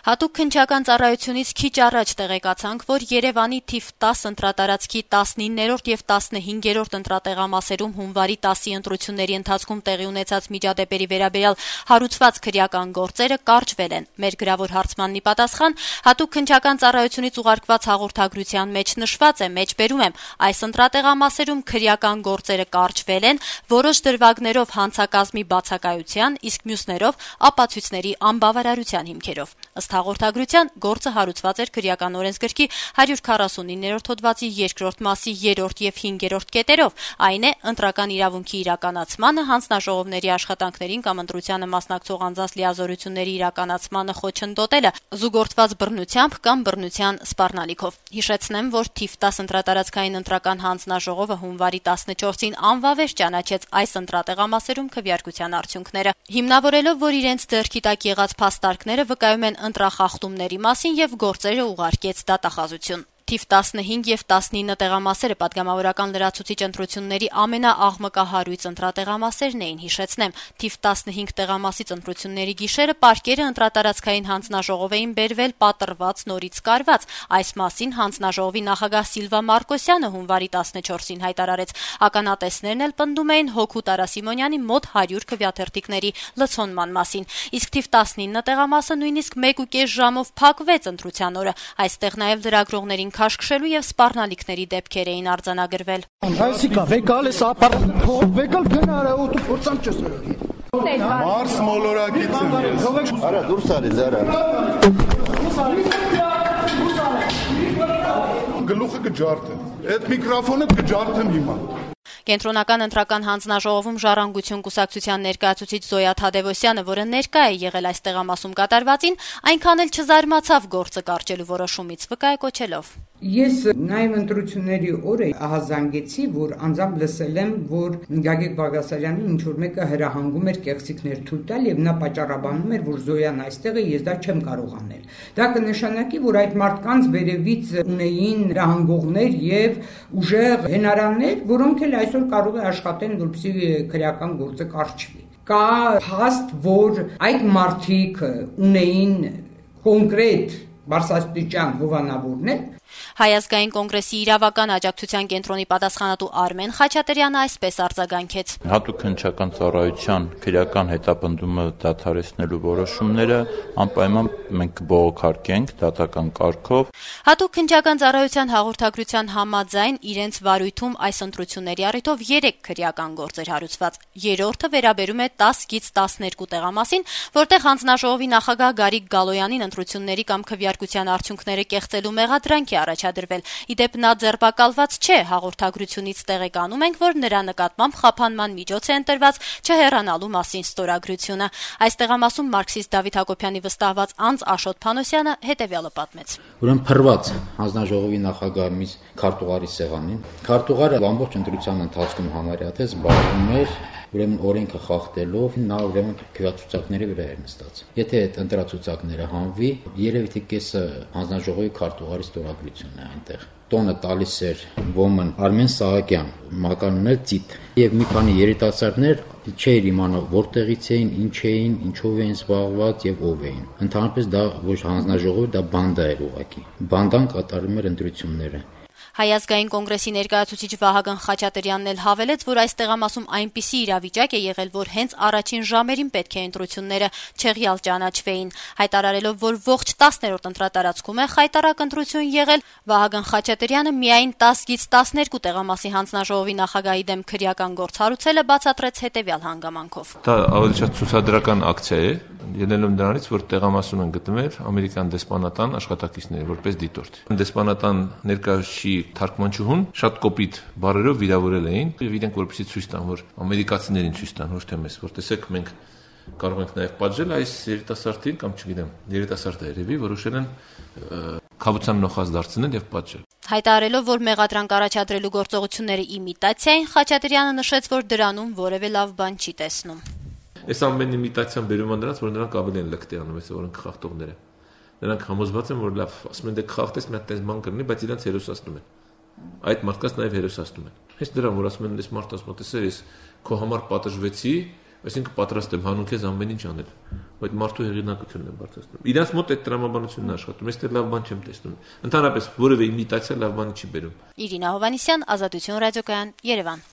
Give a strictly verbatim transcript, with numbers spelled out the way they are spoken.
Հատուկ քննչական ծառայությունից քիչ առաջ տեղեկացանք, որ Երևանի թիվ տասը ընտրատարածքի տասնիններորդ եւ տասնհինգերորդ ընտրատեղամասերում հունվարի տասի ընտրությունների ընթացքում տեղի ունեցած միջադեպերի վերաբերյալ հարուցված քրեական գործերը կարճվել են։ Մեր գրավոր հարցմանն ի պատասխան հատուկ քննչական ծառայությունից ուղարկված հաղորդագրության մեջ նշված է, մեջբերում եմ, այս ընտրատեղամասերում քրեական գործերը կարճվել են որոշ դրվագներով հանցակազմի բացակայության, իսկ մյուսներով ապացույցների անբավարարության հիմքերով։ Ըստ հաղորդագրության գործը հարուցված էր քրեական օրենսգրքի հարյուր քառասունիններորդ հոդվածի երկրորդ մասի երրորդ եւ հինգերորդ կետերով, այն է ընտրական իրավունքի իրականացմանը, հանձնաժողովների աշխատանքներին կամ ընտրությանը մասնակցող անձանց լիազորությունների իրականացմանը խոչընդոտելը, զուգորդված բռնությամբ կամ բռնության սպառնալիքով։ Հիշեցնեմ, որ թիվ տասը ընտրատարածքային ընտրական հանձնաժողովը հունվարի տասնչորսին անվավեր ճանաչեց այս ընտրատեղամասերում քվեարկության արդյունքները, հիմնավորելով, որ իրենց ձեռքի տակ եղած փաստարկները վկայում են ընտրախախտումների մասին եւ գործերը ուղարկեց դատախազություն։ Թիվ տասնհինգ եւ տասնինը տեղամասերը պատգամավորական լրացուցիչ ընտրությունների ամենաաղմկահարույց ընտրատեղամասերն էին, հիշեցնեմ, թիվ տասնհինգ տեղամասից ընտրությունների գիշերը պարկերը ընտրատարածքային հանձնաժողով էին բերվել պատռված նորից կարված։ Այս մասին հանձնաժողովի նախագահ Սիլվա Մարկոսյանը հունվարի տասնչորսին հայտարարեց։ Ականատեսներն էլ պնդում էին Հոքու Տարասիմոնյանի մոտ հարյուր քվեաթերթիկների լցոնման մասին։ Իսկ թիվ տասնինը տեղամասը նույնիսկ մեկ ու կես ժամով փակվեց ընտրության օրը։ Այստեղ նաեւ լրագրողներին քաշքշելու եւ սպառնալիքների դեպքեր էին արձանագրվել։ Այսիկա վեկալ է սապար վեկալ գնարա օտու փորձամ չես։ Մարս մոլորակից եմ ես։ Արա դուրս արի զարա։ Գլուխը կջարդեմ։ Այդ միկրոֆոնը կջարդեմ հիմա։ Կենտրոնական ընտրական հանձնաժողովում Ժառանգություն կուսակցության ներկայացուցիչ Զոյա Թադևոսյանը, որը ներկա է եղել այս տեղամասում կատարվածին, այնքան էլ չզարմացավ գործը կարճելու որոշումից, վկայակոչելով. Ես նաև ընտրությունների օրը ահազանգեցի, որ անձամբ լսել եմ, որ Գագիկ Բաղդասարյանին ինչ-որ մեկը հրահանգում էր կեղծիքներ թույլ տալ եւ նա պատճառաբանում էր, որ Զոյան այստեղ է, ես դա չեմ կարող անել։ Դա կնշանակի, որ այդ մարդկանց վերևից ունեին հրահանգողներ եւ ուժեղ հենարաններ, որոնք էլ այսօր կարող է աշխատեն, որպեսզի քրեական գործը կարճվի։ Կա փաստ, որ այդ մարդիկ ունեին կոնկրետ բարձրաստիճան հովանավորներ։ Հայ ազգային կոնգրեսի իրավական աջակցության կենտրոնի պատասխանատու Արմեն Խաչատրյանը այսպես արձագանքեց. Հատուկ քննչական ծառայության քրեական հետապնդումը դադարեցնելու որոշումները անպայման մենք կբողոքարկենք դատական կարգով։ Հատուկ քննչական ծառայության հաղորդագրության համաձայն իրենց վարույթում այս ընտրությունների առիթով երեք քրեական գործ էր հարուցված։ Երրորդը վերաբերում է տասից տասներկու տեղամասին, որտեղ հանձնաժողովի նախագահ Գարիկ Գալոյանին ընտրությունների կամ քվեարկության արդյունքները կեղծելու մեղադրանք է առաջադրվել։ Իդեպ նա ձերբակալված չէ, հաղորդագրությունից տեղեկանում ենք, որ նրա նկատմամբ խափանման միջոց է ընտրված չհեռանալու մասին ստորագրությունը։ Այս տեղամասում մարքսիստ Դավիթ Հակոբյանի վստահված անձ Աշոտ Փանոսյանը հետևյալը պատմեց. Ուրեմն փռված հանձնաժողովի նախագահ մի քարտուղարի սեղանին։ Քարտուղարը ամբողջ ընտրության ընթացքում համարյա թե զբաղվում էր ուրեմն օրենքը խախտելով, նա ուրեմն քվեացուցակների վրա էր նստած։ Եթե այդ ընտրացուցակները հանվի, երևի թե կեսը հանձնաժողովի քարտուղարի ստորագրությունն է այնտեղ։ Տոնը տալիս էր ոմն Արմեն Սահակյան, մականունն էլ Ծիտ, եւ մի քանի երիտասարդներ չէր իմանում որտեղից էին, ինչ էին, ինչով էին զբաղված եւ ով էին։ Ընդհանրապես դա ոչ հանձնաժողովը, դա բանդա էր ուղղակի։ Բանդան կատարում էր ընտրությունները։ Հայ ազգային կոնգրեսի ներկայացուցիչ Վահագն Խաչատրյանն էլ հավելեց, որ այս տեղամասում այնպիսի իրավիճակ է եղել, որ հենց առաջին ժամերին պետք է ընտրությունները չեղյալ ճանաչվեին։ Հայտարարելով, որ ողջ տասներորդ ընտրատարածքում է խայտարակ ընտրություն եղել, Վահագն Խաչատրյանը միայն տասից տասներկու տեղամասի հանձնաժողովի նախագահի դեմ քրեական գործ հարուցելը բացատրեց հետևյալ հանգամանքով. Դա ավելի շատ ցուցադրական ակցիա է, ելնելով նրանից, որ տեղամասում են գտնվել ամերիկյան դեսպանատան աշխատակիցները որպես դիտորդ։ Դեսպանատան ներկայացուցիչ թարգմանչուհուն շատ կոպիտ բառերով վիրավորել էին եւ իրենք որպեսզի ցույց տան, որ ամերիկացիներին ցույց տան, ոչ թե մեզ, որ տեսեք մենք կարող ենք նաեւ պատժել այս երիտասարդին կամ չգիտեմ, երիտասարդը երևի որոշել են խաբության նոխած դարձնել եւ պատժել։ Հայտարարելով, որ մեղադրանք առաջադրելու գործողությունները իմիտացիա են, Խաչատրյանը նշեց, որ դրանում որևէ լավ բան չի տեսնում։ Այս ամեն իմիտացիան բերում է նրանց, որ նրանք ավելի են լկտի անում, այսօր օրենք խախտողները։ Նրանք համոզված են, որ լավ, ասում են դե խախտես մի հատ տես բան կրնի, բայց իրենց հերոսացնում են։ Այդ մարդկանց նաև հերոսացնում են։ Հենց դրան, որ ասում են, այս մարդը ասում է, տեսեք, ես քո համար պատժվեցի, Այսինքն պատրաստ եմ հանուն քեզ ամեն ինչ անել, բայց մարդու հեղինակությունն է բարձրացնում։ Իրանց մոտ այդ տրամաբանությունն է աշխատում, ես դեռ լավ բան չեմ տեսնում։ Ընդհանրապես որևէ իմիտացիա լավ բանի չի բերում։ Իրինա Հովհաննիսյան, Ազատություն ռադիոկայան, Երևան։